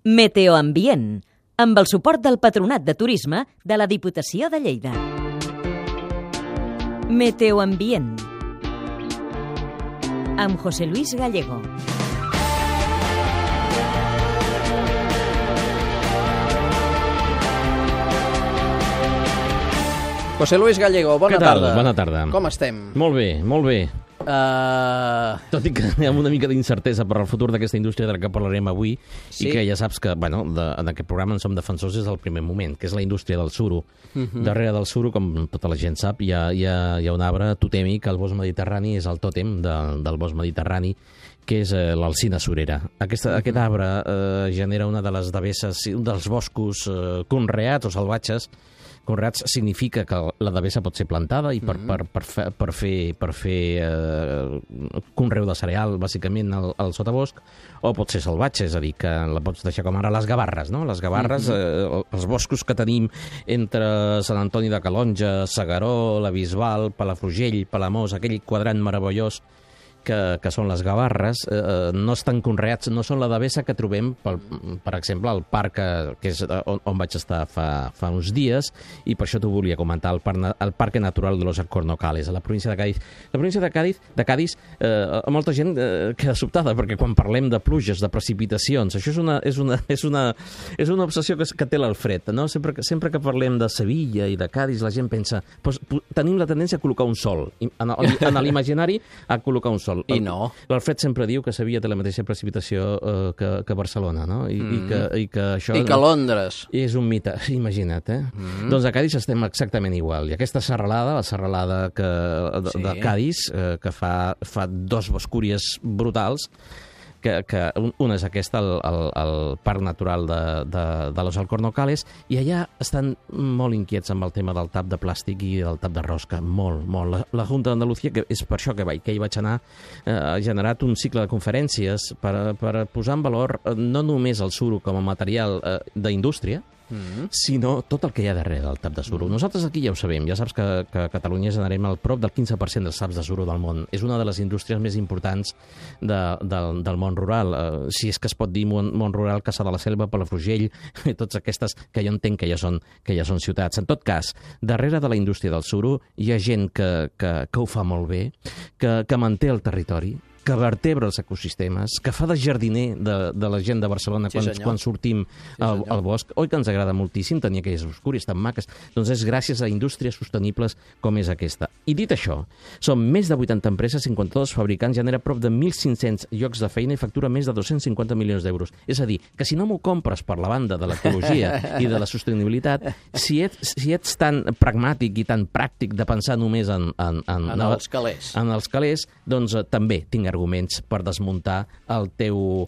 Meteoambient, amb el suport del Patronat de Turisme de la Diputació de Lleida. Meteoambient, amb José Luis Gallego. José Luis Gallego, bona tarda. Bona tarda. Com estem? Molt bé, molt bé. Tot i que hi ha una mica d'incertesa per al futur d'aquesta indústria de la que parlarem avui, Sí. i que ja saps que, en aquest programa en som defensors des del primer moment, que és la indústria del suro. Darrere del suro, com tota la gent sap, hi ha un arbre totèmic, el bosc mediterrani és el tòtem del bosc mediterrani, que és l'alzina surera. Aquest arbre genera una de les devesses, un dels boscos conreats o salvatges. Conreats significa que la devessa pot ser plantada i per fer conreu de cereal, bàsicament, al sotabosc, o pot ser salvatge, és a dir, que la pots deixar com ara les gavarres, no? Les gavarres, els boscos que tenim entre Sant Antoni de Calonge, S'Agaró, la Bisbal, Palafrugell, Palamós, aquell quadrant meravellós que són les gavarres, no estan conreats, no són la devessa que trobem, per exemple, al parc, que és on vaig estar fa uns dies, i per això t'ho volia comentar, el Parque Natural de los Alcornocales, a la província de Cádiz. La província de Cádiz, molta gent queda sobtada, perquè quan parlem de pluges, de precipitacions, això és una obsessió que té l'Alfred, no? Sempre que parlem de Sevilla i de Cádiz, la gent pensa, tenim la tendència a col·locar un sol, en l'imaginari a col·locar un sol. I no. L'Alfred sempre diu que Sevilla té la mateixa precipitació que Barcelona, no? I que això... I que Londres. És un mite, imagina't, eh? Doncs a Cádiz estem exactament igual. I aquesta serralada, la serralada de Cádiz, que fa dos boscúries brutals, que una és aquesta, el Parc Natural de los Alcornocales, i allà estan molt inquiets amb el tema del tap de plàstic i del tap de rosca, molt. La Junta d'Andalucía, que és per això que hi vaig anar, ha generat un cicle de conferències per posar en valor no només el suro com a material d'indústria, sinó tot el que hi ha darrere del tap de suro. Nosaltres aquí ja ho sabem, ja saps que a Catalunya generem el prop del 15% dels taps de suro del món. És una de les indústries més importants del món rural. Si és que es pot dir món rural, Caçà de la Selva, Palafrugell, totes aquestes que jo entenc que ja són ciutats. En tot cas, darrere de la indústria del suro hi ha gent que ho fa molt bé, que manté el territori, que vertebra els ecosistemes, que fa de jardiner de la gent de Barcelona quan sortim al bosc. Oi que ens agrada moltíssim tenir aquelles boscúries tan maques? Doncs és gràcies a indústries sostenibles com és aquesta. I dit això, són més de 80 empreses, 52 fabricants, genera prop de 1.500 llocs de feina i factura més de 250 milions d'euros. És a dir, que si no m'ho compres per la banda de l'ecologia i de la sostenibilitat, si ets tan pragmàtic i tan pràctic de pensar només en els calés, doncs també tinc arguments per desmuntar el teu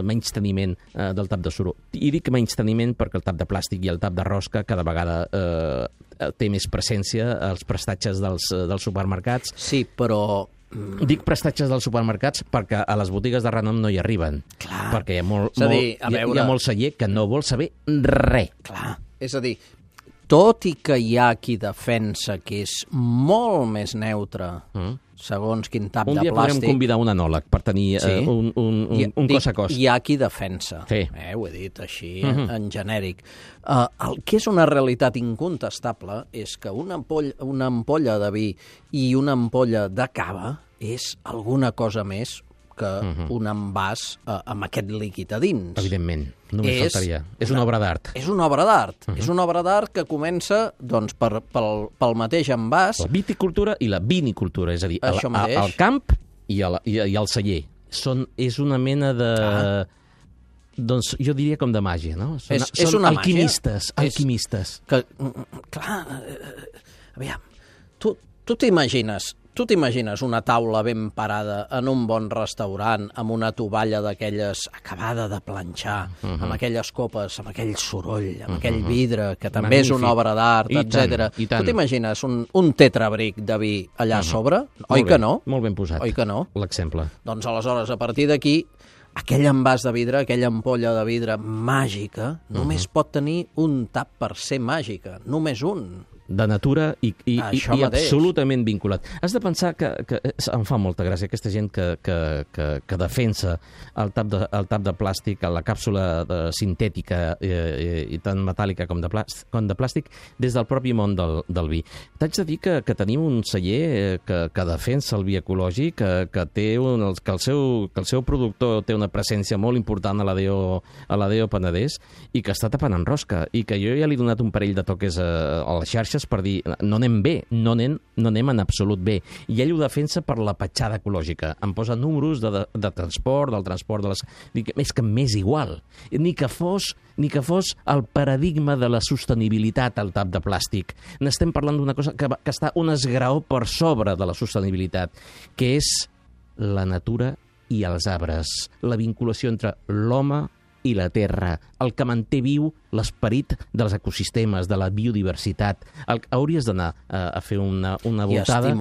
menysteniment del tap de suro. I dic menysteniment perquè el tap de plàstic i el tap de rosca cada vegada té més presència als prestatges dels supermercats. Sí, però... Dic prestatges dels supermercats perquè a les botigues de renom no hi arriben. Clar. Perquè hi ha molt celler que no vol saber res. Clar. És a dir, tot i que hi ha qui defensa que és molt més neutre segons quin tap de plàstic... Un dia podrem convidar un anòleg per tenir un cos a cos. Hi ha qui defensa, ho he dit així, en genèric. El que és una realitat incontestable és que una ampolla de vi i una ampolla de cava és alguna cosa més que un envàs amb aquest líquid a dins. Evidentment, només faltaria. És una obra d'art. És una obra d'art. És una obra d'art que comença doncs, pel mateix envàs. La viticultura i la vinicultura, és a dir, el camp i el celler. És una mena de... Doncs jo diria com de màgia, no? Són una alquimistes. Màgia. Alquimistes. Clar, aviam, tu t'imagines una taula ben parada en un bon restaurant amb una tovalla d'aquelles acabada de planxar, amb aquelles copes, amb aquell soroll, amb aquell vidre, que també és una obra d'art, etc. Tu t'imagines un tetrabric de vi allà a sobre? Oi que no? Molt ben posat. Oi que no? L'exemple. Doncs aleshores, a partir d'aquí, aquell envàs de vidre, aquella ampolla de vidre màgica, només pot tenir un tap per ser màgica, només un. de natura i mateix. absolutament vinculat. Has de pensar que em fa molta gràcia aquesta gent que defensa el tap de plàstic, la càpsula sintètica i tant metàl·lica com de plàstic, des del propi món del vi. T'haig de dir que tenim un celler que defensa el vi ecològic, que el seu productor té una presència molt important a l'ADO Penedès i que està tapant en rosca, i que jo ja li he donat un parell de toques a les xarxes per dir, no anem bé, no anem en absolut bé. I ell ho defensa per la petjada ecològica. Em posa números de transport, del transport de les... Dic, és que m'és igual. Ni que fos el paradigma de la sostenibilitat al tap de plàstic. N'estem parlant d'una cosa que està un esgraó per sobre de la sostenibilitat, que és la natura i els arbres, la vinculació entre l'home i la terra, el que manté viu l'esperit dels ecosistemes, de la biodiversitat. Hauries d'anar a fer una voltada... I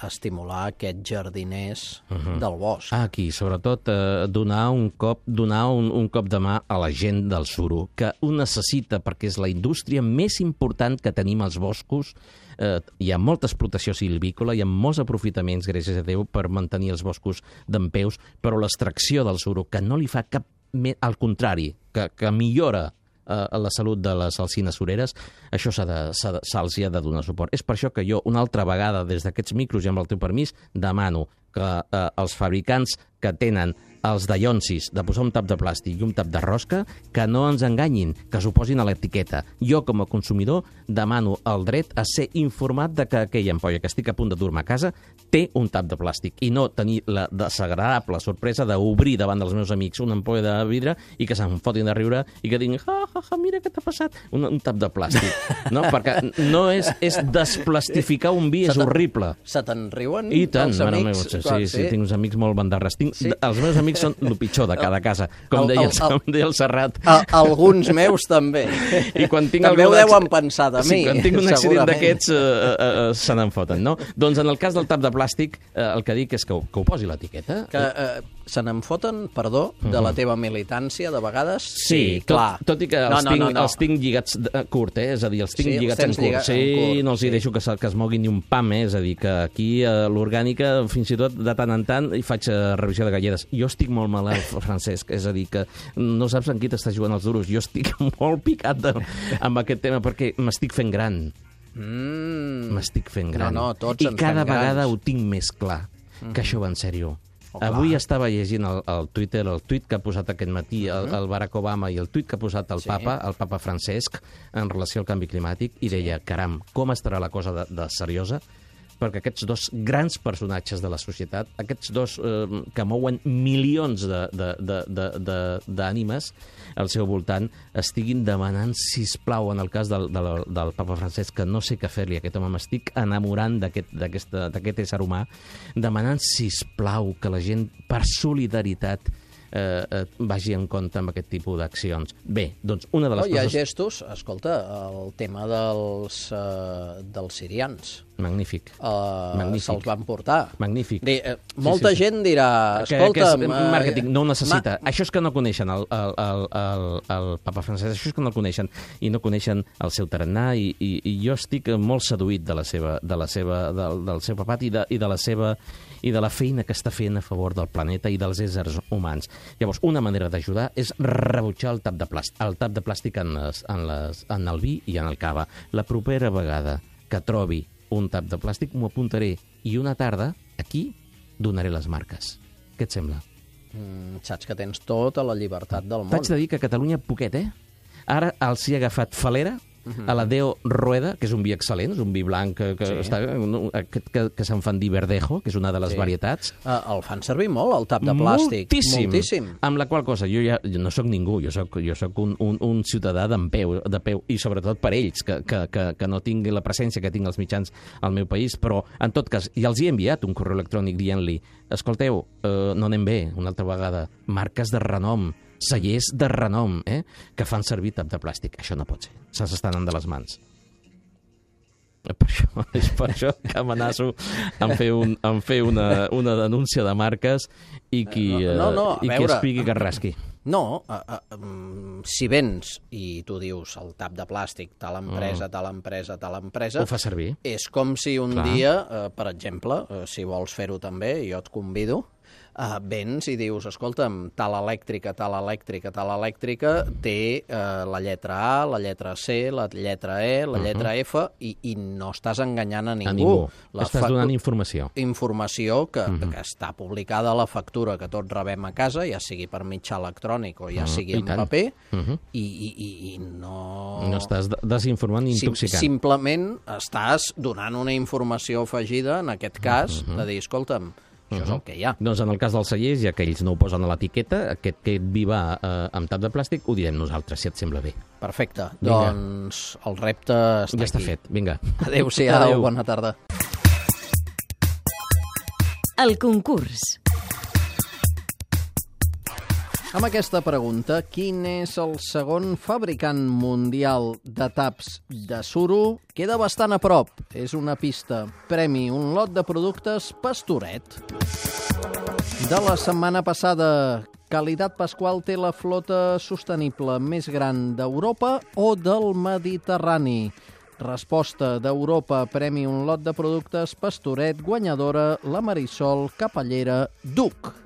estimular aquests jardiners del bosc. Aquí, sobretot, donar un cop de mà a la gent del suro, que ho necessita perquè és la indústria més important que tenim als boscos. Hi ha molta explotació silvícola, hi ha molts aprofitaments, gràcies a Déu, per mantenir els boscos dempeus, però l'extracció del suro, que no li fa cap... Al contrari, que millora la salut de les alzines sureres, això se'ls ha de donar suport. És per això que jo, una altra vegada, des d'aquests micros i amb el teu permís, demano que els fabricants que tenen els dallonsis de posar un tap de plàstic i un tap de rosca, que no ens enganyin, que s'ho posin a l'etiqueta. Jo, com a consumidor, demano el dret a ser informat de que aquella ampolla que estic a punt de dur-me a casa té un tap de plàstic, i no tenir la desagradable sorpresa d'obrir davant dels meus amics una ampolla de vidre i que se'm fotin de riure i que diguin, mira què t'ha passat, un tap de plàstic. No? Perquè no és desplastificar un vi, és horrible. Se te'n riuen I tant, els amics? Sí, tinc uns amics molt bandarres. Els meus amics són el pitjor de cada casa, com deia el Serrat. Alguns meus també. I quan tinc també ho deuen pensar de mi. Quan tinc un accident d'aquests se n'en foten, no? Doncs en el cas del tap de plàstic, el que dic és que ho posi l'etiqueta. Que se n'en foten, perdó, de la teva militància, de vegades? Sí, clar. Tot i que els tinc lligats curt, és a dir, els tinc lligats en curt. Sí, no els hi deixo que es moguin ni un pam, és a dir, que aquí l'orgànica, fins i tot de tant en tant, hi faig revisió de galledes. Jo estic molt malalt, Francesc, és a dir, que no saps en qui t'estàs jugant els duros. Jo estic molt picat amb aquest tema perquè m'estic fent gran. M'estic fent gran. Tots I cada vegada ho tinc més clar, que això va en sèrio. Avui estava llegint al Twitter el tuit que ha posat aquest matí el Barack Obama i el tuit que ha posat el Papa Francesc, en relació al canvi climàtic, i deia, caram, com estarà la cosa de seriosa? Perquè aquests dos grans personatges de la societat, aquests dos que mouen milions d'ànimes al seu voltant, estiguin demanant, sisplau, en el cas del Papa Francesc, que no sé què fer-li a aquest home, m'estic enamorant d'aquest ésser humà, demanant, sisplau, que la gent, per solidaritat, vagi en compte amb aquest tipus d'accions. Bé, doncs una de les coses... Hi ha gestos, escolta, el tema dels sirians. Magnífic. Se'ls van portar. Magnífic. Molta gent dirà, escolta... Màrqueting, no ho necessita. Això és que no coneixen el Papa Francesc, això és que no el coneixen, i no coneixen el seu tarannà, i jo estic molt seduït del seu papat i de la feina que està fent a favor del planeta i dels éssers humans. Llavors, una manera d'ajudar és rebutjar el tap de plàstic en el vi i en el cava. La propera vegada que trobi un tap de plàstic m'ho apuntaré, i una tarda, aquí, donaré les marques. Què et sembla? Saps que tens tota la llibertat del món. T'haig de dir que a Catalunya poquet, Ara els hi ha agafat falera a la Deo Rueda, que és un vi excel·lent, és un vi blanc que se'n fan dir Verdejo, que és una de les varietats. El fan servir molt, el tap de plàstic. Moltíssim. Amb la qual cosa, jo no sóc ningú, jo sóc un ciutadà de peu, i sobretot per ells, que no tingui la presència que tinc als mitjans al meu país, però en tot cas, ja els he enviat un correu electrònic dient-li, escolteu, no anem bé, una altra vegada, marques de renom, cellers de renom, que fan servir tap de plàstic. Això no pot ser. Se'ns estan anant de les mans. És per això que amenaço en fer una denúncia de marques i qui espigui que rasqui. No, si vens i tu dius el tap de plàstic, tal empresa, tal empresa, tal empresa... Ho fa servir. És com si un dia, per exemple, si vols fer-ho també, jo et convido, vens i dius, escolta'm, tal elèctrica té la lletra A, la lletra C, la lletra E, la lletra F, i no estàs enganyant a ningú. Estàs donant informació. Informació que està publicada a la factura que tots rebem a casa, ja sigui per mitjà electrònic o ja sigui en paper, i no... No estàs desinformant ni intoxicant. Simplement estàs donant una informació afegida, en aquest cas, de dir, escolta'm, això és el que hi ha. Doncs en el cas dels cellers, ja que ells no ho posen a l'etiqueta, aquest que et vi va amb tap de plàstic, ho direm nosaltres, si et sembla bé. Perfecte. Doncs el repte està aquí. Ja està fet, vinga. Adéu-siau, bona tarda. El concurs. Amb aquesta pregunta, quin és el segon fabricant mundial de taps de suro? Queda bastant a prop. És una pista. Premi un lot de productes Pastoret. De la setmana passada, Qualitat Pasqual té la flota sostenible més gran d'Europa o del Mediterrani? Resposta d'Europa, premi un lot de productes Pastoret, guanyadora la Marisol Capellera Duc.